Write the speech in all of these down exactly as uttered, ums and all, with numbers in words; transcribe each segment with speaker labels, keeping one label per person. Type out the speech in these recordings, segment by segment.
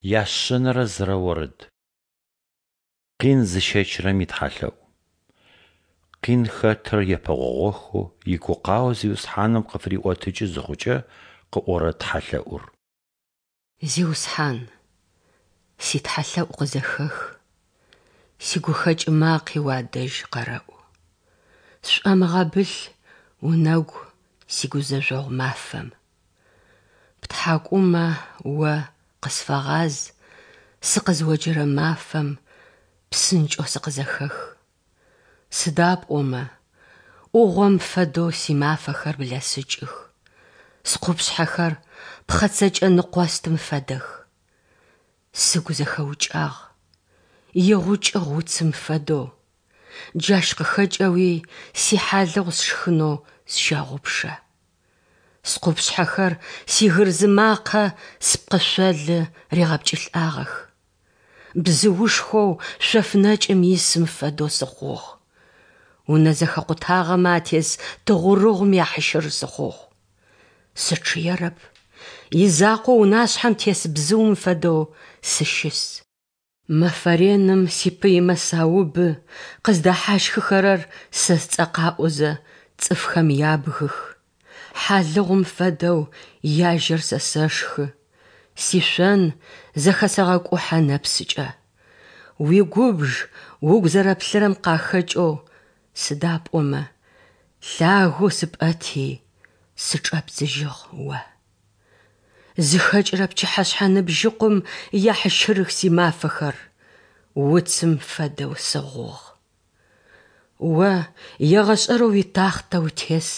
Speaker 1: Яшъэнэрэ зырэ орэд. Къин зыщэчырэм итхьалъэӀу. Къин хэтыр епэгъогъохэу игукъао Зиусхьаным къыфыриӀотыкӀы зыхъукӀэ къыӀорэ тхьэлъэӀур.
Speaker 2: Зиусхьан, ситхьалъэӀу къызэхэх, сигухэкӀ макъи уадэжь къэрэӀу. Сшӏомыгъэбылъ унэгу сигузэжъогъу мафэм. ПтхьакӀумэ О къысфэгъаз, сыкъызыоджэрэ мафэм псынкӀэу сыкъызэхэх. Сыда пӀомэ Ӏугъом фэдэу симафэхэр блэсыкӀых, скъупшъхьэхэр пхъэцэкӀэ ныкъостым фэдэх. Сыгу зэхэукӀагъ, игъукӀыгъ уцым фэдэу, джащ къыхэкӀэуи сихьалыгъу сшхынэу сщэгъупшэ. Скъупшъхьэхэр сигырзы макъэ спкъышъолы ригъэпкӀылӀагъэх. Бзыушхоу шъоф нэкӀым исым фэдэу сыхъугъ. Унэ зэхэкъутагъэмэ атес тыгъурыгъум яхьщыр сыхъугъ. Сычъыерэп, изакъоу унашъхьэм тес бзыум фэдэу сыщыс. Мэфэ реным сипыймэ саубы, къыздэхьащхыхэрэр сэ сцӏэ къаӏозэ, цӏыфхэм ябгых. Хьалыгъум фэдэу яжьэр сэ сэшхы, сишъон зэхэсэгъэкӏухьэ нэпсыкӏэ. Уигубж угу зэрэплъырэм къахэкӏэу, сыда пӏомэ лъагэу сыпӏэти, сычӏэбдзыжьыгъ О. Зыхэкӏырэ пчыхьэшъхьэ ныбжьыкъум яхьщырых симафэхэр, уцым фэдэу сыгъугъ. О егъэшӏэрэу уитахътэ утес,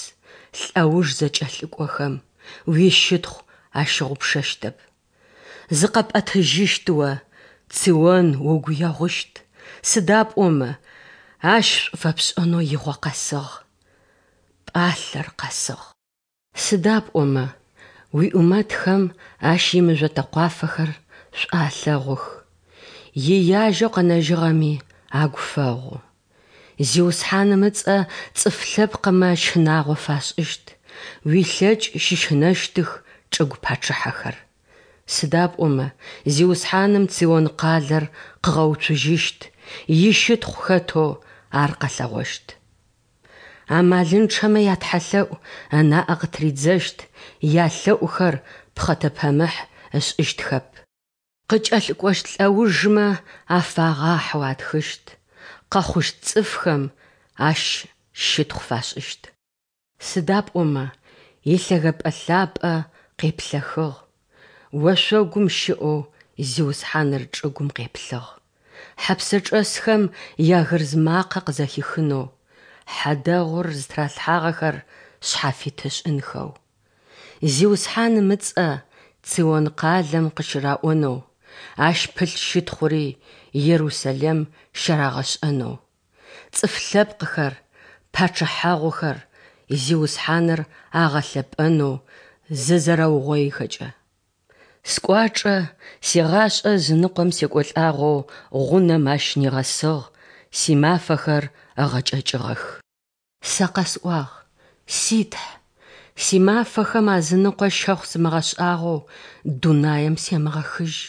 Speaker 2: лӏэуж зэкӏэлъыкӏохэм уищытхъу ащыгъупшэщтэп. Зыкъэпӏэтыжьыщт о, Цион угу егъущт, сыда пӏомэ ащ шӏу фэпшӏэнэу игъо къэсыгъ, пӏалъэр къэсыгъ. Сыда пӏомэ уиӏумэтхэм ащ имыжъо тэкъуафэхэр шӏу алъэгъух, ияжьэу къэнэжьыгъэми агу фэгъу. Зиусхьаным ыцӏэ цӏыф лъэпкъмэ щынагъо фашӏыщт, уилъэкӏ щыщынэщтых чӏыгу пачъыхьэхэр. Сыда пӏомэ Зиусхьаным Цион къалэр къыгъэуцужьыщт, ищытхъу хэтэу ар къэлъэгъощт. Амалынчъэмэ ятхьэлъэӀу ынаӏэ къытыридзэщт, ялъэӀухэр пхъэтэпэмыхь ышӀыщтхэп. Къыкӏэлъыкӏощт лӏэужмэ афагъахьэу атхыщт, къэхъущт цӏыфхэм ащ щытхъу фашӏыщт. Сыда пӏомэ илъэгэпӏэ лъапӏэ къеплъэхыгъ, ошъогум щыӏэу Зиусхьаныр чӏыгум къеплъыгъ, хьэпсэчӏэсхэм ягырз макъэ къызэхихынэу, хьадэгъур зытыралъхьагъэхэр шъхьафит ышӏынхэу. Зиусхьаным ыцӏэ Цион къалэм къыщыраӏонэу, ащ пылъ щытхъури Ерусэлэм щарагъэшӏэнэу. Цӏыф лъэпкъхэр, пачъыхьэгъухэр Зиусхьаныр агъэлъэпӏэнэу зызэрэугъоихэкӏэ. Скӏуачӏэ сигъашӏэ ызыныкъом секӏолӏагъэу гъунэм ащ нигъэсыгъ, симафэхэр ыгъэкӏэкӏыгъэх. Сэ къэсӏуагъ: Си Тхь, симафэхэм азыныкъо щэхъу сымыгъэшӏагъэу дунаем семыгъэхыжь,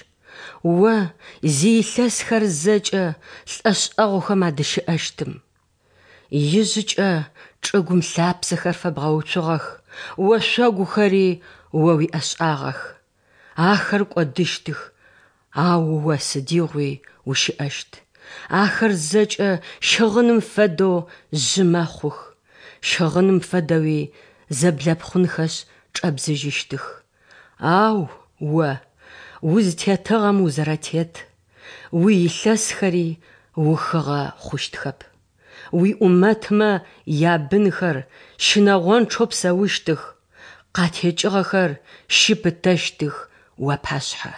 Speaker 2: О зиилъэсхэр зэкӏэ лӏэшӏэгъухэм адыщыӏэщтым. Ижъыкӏэ чӏыгум лъапсэхэр фэбгъэуцугъэх, ошъогухэри О уиӏэшӏагъэх. Ахэр кӏодыщтых, ау О сыдигъуи ущыӏэщт. Ахэр зэкӏэ щыгъыным фэдэу жъы мэхъух, щыгъыным фэдэуи зэблэпхъунхэшъ чӏэбдзыжьыщтых. Ау О узтетыгъэм узэрэтет, уиилъэсхэри ухыгъэ хъущтхэп. Уиӏумэтмэ ябынхэр щынэгъончъэу псэущтых, къатекӏыгъэхэр щыпытэщтых уапашъхьэ.